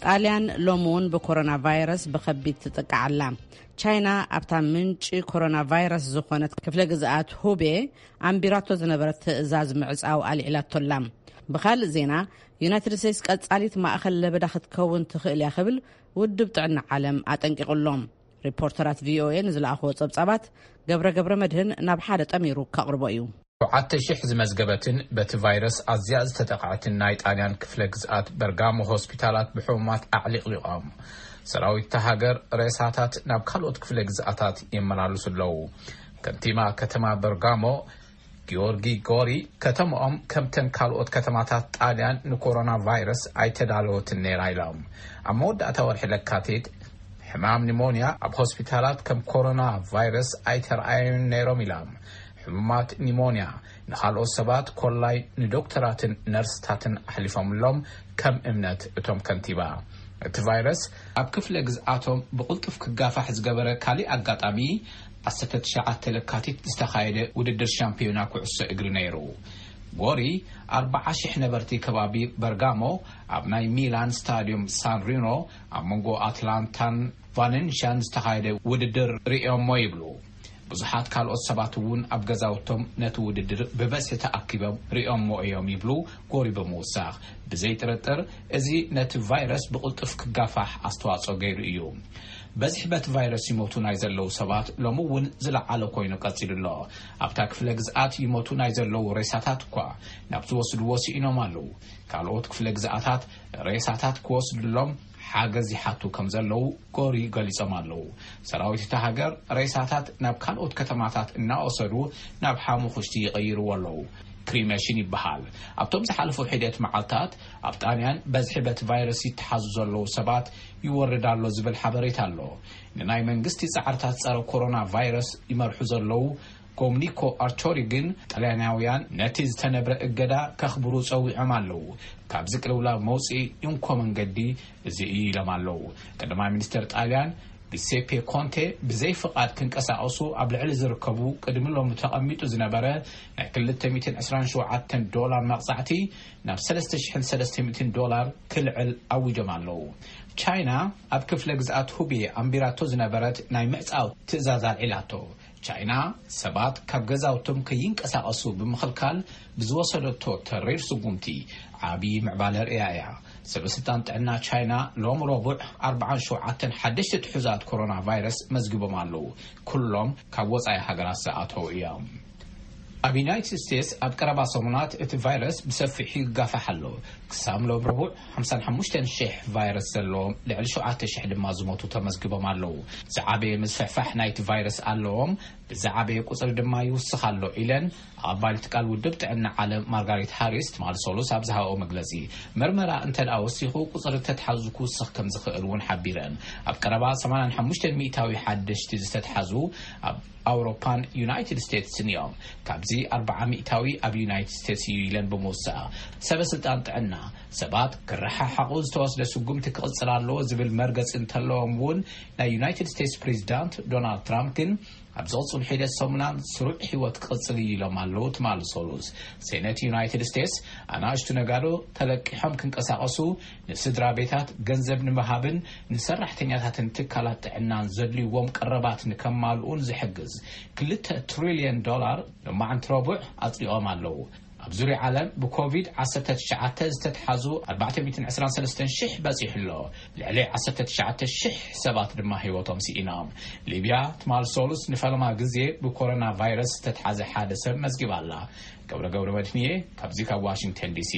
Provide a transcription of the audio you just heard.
ጣልያን ሎሚ እውን ብኮሮና ቫይረስ ብኸቢድ ትጥቃዕ ኣላ። ቻይና ኣብታ ምንጪ ኮሮና ቫይረስ ዝኾነት ክፍለ ግዝኣት ሁቤ ኣንቢራቶ ዝነበረት ትእዛዝ ምዕጻው ኣልዒላቶ ኣላ። ብኻልእ ዜና፣ ዩናይትድ ስቴትስ ቀጻሊት ማእኸል ለበዳ ክትከውን ትኽእል እያ ክብል ውድብ ጥዕና ዓለም ኣጠንቂቑ ኣሎ። ሪፖርተራት ቪኦኤ ንዝለኣኽዎ ጸብጻባት ገብረ ገብረ መድህን ናብ ሓደ ጠሚሩ ከቕርቦ እዩ። ሸውዓተ ሺሕ ዝመዝገበትን በቲ ቫይረስ ኣዝያ ዝተጠቕዐትን ናይ ጣልያን ክፍለ ግዝኣት በርጋሞ ሆስፒታላት ብሕሙማት ኣዕሊቕሊቖም። ሰራዊት እታ ሃገር ሬሳታት ናብ ካልኦት ክፍለ ግዝኣታት የመላልሱ ኣለዉ። ከንቲባ ከተማ በርጋሞ ጊዮርጊ ጎሪ፣ ከተማኦም ከምተን ካልኦት ከተማታት ጣልያን ንኮሮና ቫይረስ ኣይተዳለወትን ነይራ ኢሎም። ኣብ መወዳእታ ወርሒ ለካቲት ሕማም ኒሞንያ ኣብ ሆስፒታላት ከም ኮሮና ቫይረስ ኣይተረኣዩን ነይሮም ኢሎም። ሕሙማት ኒሞንያ ንኻልኦት ሰባት ኮላይ ንዶክተራትን ነርስታትን ኣሕሊፎምሎም፣ ከም እምነት እቶም ከንቲባ። እቲ ቫይረስ ኣብ ክፍለ ግዝኣቶም ብቕልጡፍ ክጋፋሕ ዝገበረ ካሊእ ኣጋጣሚ፣ ዓሰርተ ትሽዓተ ለካቲት ዝተኻየደ ውድድር ሻምፒዮና ኩዕሶ እግሪ ነይሩ። ጎሪ ኣርባዓ ሺሕ ነበርቲ ከባቢ በርጋሞ ኣብ ናይ ሚላን ስታዲዮም ሳን ሪኖ ኣብ መንጎ ኣትላንታን ቫለንሽያን ዝተኻየደ ውድድር ርእዮሞ ይብሉ። ብዙሓት ካልኦት ሰባት እውን ኣብ ገዛውቶም ነቲ ውድድር ብበዝሒ ተኣኪቦም ርእዮሞ እዮም ይብሉ ጎሪ ብምውሳኽ። ብዘይ ጥርጥር እዚ ነቲ ቫይረስ ብቕልጡፍ ክጋፋሕ ኣስተዋጽኦ ገይሩ እዩ። በዝሒ በቲ ቫይረስ ይሞቱ ናይ ዘለዉ ሰባት ሎሚ እውን ዝለዓለ ኮይኑ ቀጺሉ ኣሎ። ኣብታ ክፍለ ግዝኣት ይሞቱ ናይ ዘለዉ ሬሳታት እኳ ናብ ዝወስድዎ ስኢኖም ኣለዉ። ካልኦት ክፍለ ግዝኣታት ሬሳታት ክወስድሎም ሓገዝ ይሓቱ ከም ዘለዉ ጎሪ ገሊጾም ኣለዉ። ሰራዊት እታ ሃገር ሬሳታት ናብ ካልኦት ከተማታት እናወሰዱ ናብ ሓሙኽሽቲ ይቕይርዎ ኣለዉ። ክሪመሽን ይበሃል። ኣብቶም ዝሓለፉ ሒደት መዓልታት ኣብ ጣልያን በዝሒ በቲ ቫይረስ ይተሓዙ ዘለዉ ሰባት ይወርድ ኣሎ ዝብል ሓበሬታ ኣሎ። ንናይ መንግስቲ ጻዕርታት ጸረ ኮሮና ቫይረስ ይመርሑ ዘለዉ ጎምኒኮ ኣርቾሪ ግን፣ ጣልያናውያን ነቲ ዝተነብረ እገዳ ከኽብሩ ጸዊዖም ኣለዉ። ካብዚ ቅልውላው መውጽኢ እንኮ መንገዲ እዚ እዩ ኢሎም ኣለዉ። ቀዳማይ ሚኒስተር ጣልያን ጊሴፔ ኮንቴ ብዘይ ፍቓድ ክንቀሳቐሱ ኣብ ልዕሊ ዝርከቡ ቅድሚ ሎሚ ተቐሚጡ ዝነበረ ናይ ክልተ ሚእትን ዕስራን ሸውዓተን ዶላር መቕጻዕቲ ናብ ሰለስተ ሽሕን ሰለስተ ሚእትን ዶላር ክልዕል ኣዊጆም ኣለዉ። ቻይና ኣብ ክፍለ ግዝኣት ሁቤ ኣንቢራቶ ዝነበረት ናይ ምዕጻው ትእዛዝ ኣልዒላቶ። ቻይና ሰባት ካብ ገዛውቶም ከይንቀሳቐሱ ብምኽልካል ብዝወሰደቶ ተሪር ስጉምቲ ዓቢ ምዕባለ ርእያ እያ። ሰበስልጣን ጥዕና ቻይና ሎም ረቡዕ ኣርባዓን ሸውዓተን ሓደሽቲ ትሑዛት ኮሮና ቫይረስ መዝግቦም ኣለዉ። ኩሎም ካብ ወጻኢ ሃገራት ዝኣተዉ እዮም። ኣብ ዩናይትድ ስቴትስ ኣብ ቀረባ ሰሙናት እቲ ቫይረስ ብሰፊሑ ይጋፋሕ ኣሎ። ክሳብ ሎም ረቡዕ ሓምሳን ሓሙሽተን ሽሕ ቫይረስ ዘለዎም፣ ልዕሊ ሸውዓተ ሽሕ ድማ ዝሞቱ ተመዝግቦም ኣለዉ። ዝዓበየ ምስፍሕፋሕ ናይቲ ቫይረስ ኣለዎም፣ ብዝዓበየ ቁጽሪ ድማ ይውስኽ ኣሎ ኢለን ኣቐባሊት ቃል ውድብ ጥዕና ዓለም ማርጋሪት ሃሪስ ትማል ሰሉስ ኣብ ዝሃበኦ መግለጺ፣ መርመራ እንተ ደኣ ወሲኹ ቁጽሪ ተትሓዙ ክውስኽ ከም ዝኽእል እውን ሓቢረን። ኣብ ቀረባ ሰማንያን ሓሙሽተን ሚእታዊ ሓደሽቲ ዝተትሓዙ ኣብ ኣውሮፓን ዩናይትድ ስቴትስን እዮም። ካብዚ ኣርባዓ ሚእታዊ ኣብ ዩናይትድ ስቴትስ እዩ ኢለን ብምውሳእ፣ ሰበ ስልጣን ጥዕና ሰባት ክረሓሓቑ ዝተወስደ ስጉምቲ ክቕጽል ኣለዎ ዝብል መርገጺ እንተለዎም እውን፣ ናይ ዩናይትድ ስቴትስ ፕሬዚዳንት ዶናልድ ትራምፕ ግን ኣብ ዝቕጽሉ ሒደት ሰሙናን ስሩዕ ህይወት ክቕጽል እዩ ኢሎም ኣለዉ ትማል ሰሉስ። ሴኔት ዩናይትድ ስቴትስ ኣናእሽቱ ነጋዶ ተለቂሖም ክንቀሳቐሱ፣ ንስድራ ቤታት ገንዘብ ንምሃብን ንሰራሕተኛታትን ትካላት ጥዕናን ዘድልይዎም ቀረባት ንከማልኡን ዝሕግዝ ክልተ ትሪልዮን ዶላር ሎማዓንቲ ረቡዕ ኣጽዲቖም ኣለዉ። ኣብ ዙርያ ዓለም ብኮቪድ ዓሰርተ ትሽዓተ ዝተትሓዙ ኣርባዕተ ሚእትን ዕስራን ሰለስተን ሽሕ በጺሑ ኣሎ። ልዕሊ ዓሰርተ ትሽዓተ ሽሕ ሰባት ድማ ህይወቶም ስኢኖም። ሊብያ ትማል ሰሉስ ንፈለማ ግዜ ብኮሮና ቫይረስ ዝተትሓዘ ሓደ ሰብ መዝጊባ ኣላ። ገብረ ገብረ መድህንየ ካብዚ ካብ ዋሽንግተን ዲሲ።